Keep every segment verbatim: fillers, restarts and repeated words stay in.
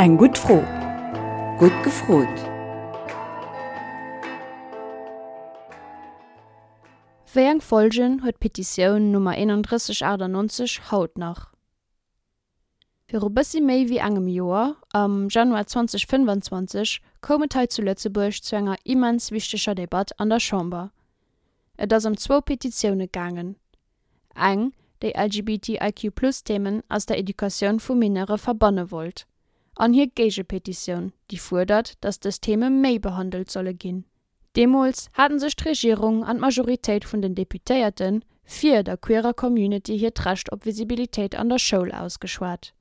Eng gutt Fro. Gutt gefrot! Wéi eng Folgen huet d'Petitioun Nummer eenandrësseg achtannonzeg haut nach? Viru bëssi méi wéi engem Joer, am Januar zweedausendfënnefanzwanzeg, koum et hei zu Lëtzebuerg zu enger immens wichteger Debatt an der Chamber. Et ass ëm zwou Petitioune gaangen. Eng, déi L G B T I Q plus Themen aus der Educatioun vu Mineure verbanne wollt, an hir Géigepetitioun, déi fuerdert, datt dës Theme méi behandelt solle ginn. Deemools haten sech d'Regierung an d'Majoritéit vun den Deputéierte fir der queerer Community hiert Recht op Visibilitéit an der Schoul ausgeschwat.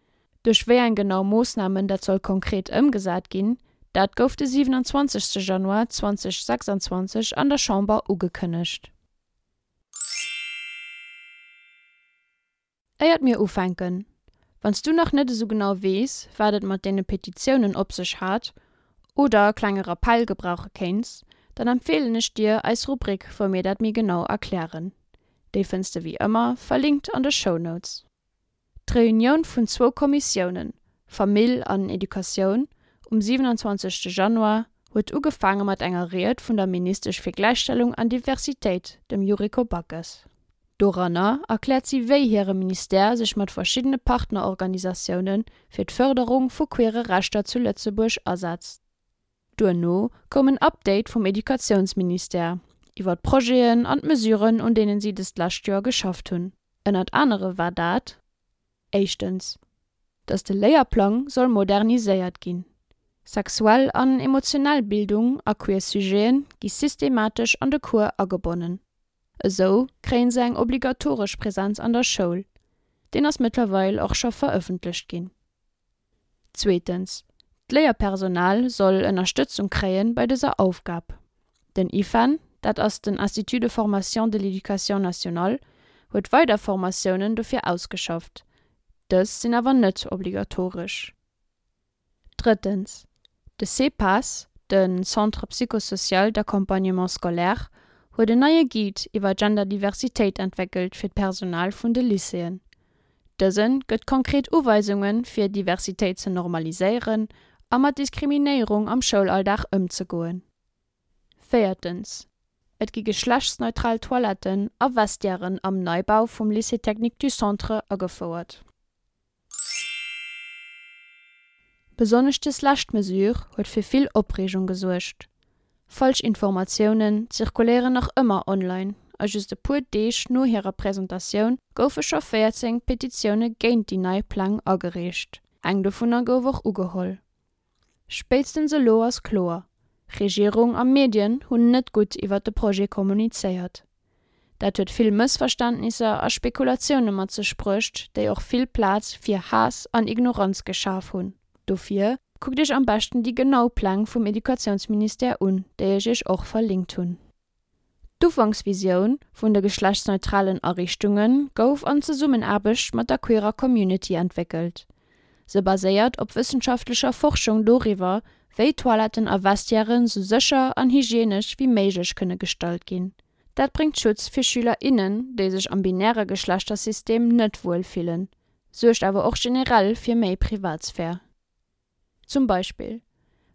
Duerch wéi eng genau Moossnamen dat soll konkret ëmgesat ginn, dat gouf de siwenanzwanzegste Januar zweedausendsechsanzwanzeg an der Chamber ugekënnegt. Éiert mir ufänken, Wann s du nach net esou genau weess, wat et mat deene Petitiounen op sech hat oder e klenge Rappell gebrauche kéints, dann empfeelen ech dir eis Rubrik, wou mir dat méi genau erklären. Déi fënns de wéi ëmmer verlinkt an de Shownotes. D'Reunioun vun zwou Kommissiounen, Famill an Educatioun, um siwenanzwanzegste Januar huet ugefaange mat enger Ried vun der Ministesch fir Gläichstellung an Diversitéit, dem Yuriko Backes. Doranner erkläert si wéi hire Ministère sech mat verschiddene Partnerorganisatioune fir d'Fërderung vu queere Rechter zu Lëtzebuerg asetzt. Duerno koum en Update vum Educatiounsministère iwwer d'Projeten an d'Mesuren, un deenen si dëst lescht Joer geschafft hunn. Ënnert anere war dat, éischtens, datt de Léierplang soll moderniséiert ginn. Sexuell an emotionell Bildung a queer Sujete gi systematesch an de Cours agebonnen. Esou kréie se eng obligatoresch Presenz an der Schoul. Deen ass mëttlerweil och scho verëffentlecht ginn. Zweetens, D'Léierpersonal soll Ënnerstëtzung kréie bei dëser Aufgab. Den IFEN, dat ass den Institut de formation de l'éducation nationale, huet weider Formatiounen dofir ausgeschafft. Dës sinn awer net obligatoresch. Drëttens, De CPAS, de Centre psychosocial d'accompagnement scolaire, huet en neie Guide iwwer Genderdiversitéit entwéckelt fir d'Personal vun de Lycéeën. Dëse gëtt konkret Uweisunge fir Diversitéit ze normaliséieren a mat Diskriminéierung am Schoulalldag ëmzegoen. Véiertens, Et gi geschlechtsneutral Toiletten a Vestiairen am Neibau vum Lycée technique du Centre agefouert. Besonnesch dës lescht Mesure huet fir vill Opreegung gesuergt. Falsch Informatiounen zirkuléieren nach ëmmer online a just e puer Deeg no hirer Presentatioun goufe scho véierzéng Petitioune géint déi nei Pläng agereecht. Eng dovunner gouf och ugeholl. Spéitstens elo ass kloer, Regierung a Medien hunn net gutt iwwer de Projet kommunizéiert. Dat huet vill Mëssverständnisser a Spekulatioune mat sech bruecht, déi och vill Plaz fir Haass an Ignoranz geschaf hunn. Dofir kuckt iech am beschten déi genau Pläng vum Educatiounsministère un, déi ech iech och verlinkt hunn. D'Ufanksvisioun vun de geschlechtsneutralen Ariichtunge gouf an Zesummenaarbecht mat der queerer Community entwéckelt. Se baséiert op wëssenschaftlecher Forschung doriwwer, wéi Toiletten a Vestiairen sou sécher an hygienesch wéi méiglech kënne gestalt ginn. Dat bréngt Schutz fir Schüler, innen, déi sech am binäre Geschlechtersystem net wuel fillen, suergt awer och generell fir méi Privatsphär. Zum Beispill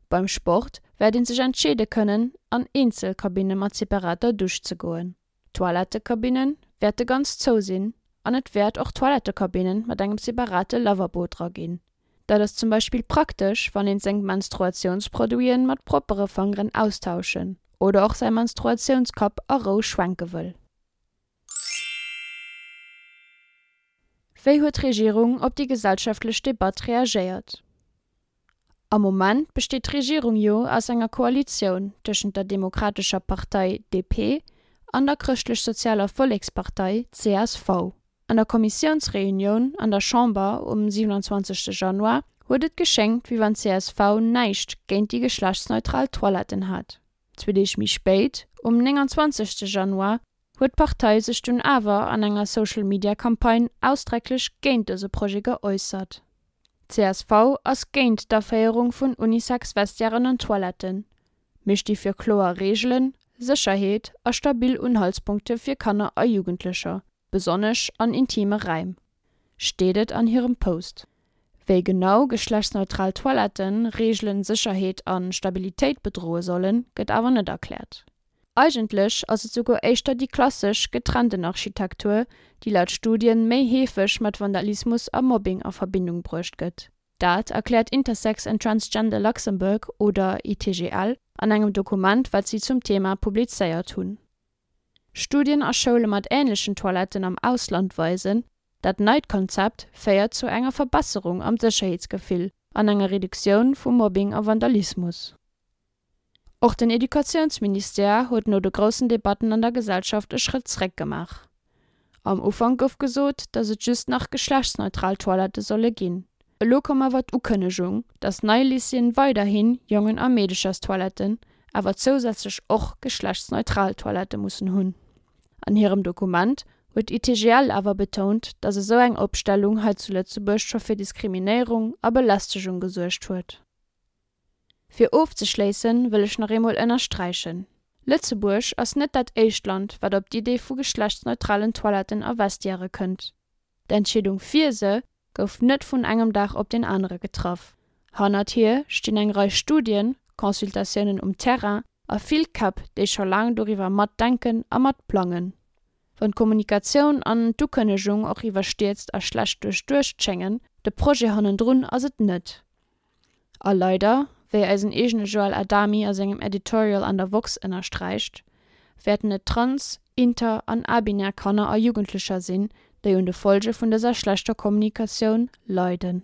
beim Sport wäert ee sech entscheede kënnen, an eenzel Kabinne mat separater Dusch ze goen. D'Toilettekabinne wäerte ganz zou sinn an et wäert och Toilettekabinne mat engem separate Lavabo dra ginn. Dat ass zum Beispill praktesch, wann een seng Menstruatiounsproduiten mat proppere Fangeren austauschen oder och säi Menstruatiounskapp a Rou schwenke wëll. Wéi huet d'Regierung op déi gesellschaftlech Debatt reagéiert? Am Moment besteet d'Regierung jo aus enger Koalitioun tëschent der Demokratescher Partei, D P, an der Chrëschtlech-Sozialer Vollekspartei, C S V. An der Kommissiounsreunioun an der Chamber um siewenundzwanzegste Januar huet et geschéngt, wéi wann d'C S V näischt géint déi geschlechtsneutral Toiletten hat. Zwee Deeg méi spéit, um nénganzwanzegste Januar, huet d'Partei sech dunn awer an enger Social-Media-Campagne ausdrécklech géint dëse Projet geäussert. C S V ass géint d'Aféierung vun Unisex-Vestiairen an Toiletten. Mir sti fir kloer Reegelen, Sécherheet a stabil Unhaltspunkte fir Kanner a Jugendlecher, besonnesch an intime Raim, steet et an hirem Post. Wéi genau geschlechtsneutral Toiletten Reegelen, Sécherheet a Stabilitéit bedroe sollen, gëtt awer net erkläert. Eigentlech ass et souguer éischter déi klassesch, getrennten Architektur, déi laut Studien méi heefeg mat Vandalismus a Mobbing a Verbindung bruecht gëtt. Dat erkläert Intersex and Transgender Luxembourg, oder I T G L, an engem Dokument, wat si zum Thema publizéiert hunn. Studien a Schoule mat änlechen Toiletten am Ausland weisen, Dat neit Konzept féiert zu enger Verbesserung am Sécherheetsgefill an enger Reduktioun vu Mobbing a Vandalismus. Och den Educatiounsministère huet no de groussen Debatten an der Gesellschaft e Schrëtt zréck gemaach. Am Ufank gouf gesot, datt et just nach geschlechtsneutral Toilette solle ginn. Elo koum awer d'Ukënnegung, datt nei Lycéeën weiderhin Jongen a Meedecherstoiletten, awer zousätzlech och geschlechtsneutral Toilette mussen hunn. An hirem Dokument huet I T G L awer betount, datt esou eng Opstellung hei zu Lëtzebuerg scho fir Diskriminéierung a Belästegung gesuergt huet. Fir ofzeschléissen, wëll ech nach eemol ënnersträichen, Lëtzebuerg ass net dat éischt Land, wat op d'Idee vu geschlechtsneutralen Toiletten a Vestiairë kënnt. D'Entscheedung fir se gouf net vun engem Dag op den anere getraff. Hannert hir stinn eng Rei Studien, Consultatiounen um Terrain a vill Käpp, déi scho laang doriwwer matdenken a matplangen. Wann d'Kommunikatioun an d'Ukënnegung och iwwerstierzt a schlecht duerchduecht schéngen, de Projet hannendrun ass et net. A leider, wéi eisen eegene Joël Adami a sengem Editorial an der woxx ënnersträicht, wäerten et trans-, inter an abinär Kanner a Jugendlecher sinn, déi un de Follge vun dëser schlechter Kommunikatioun leiden.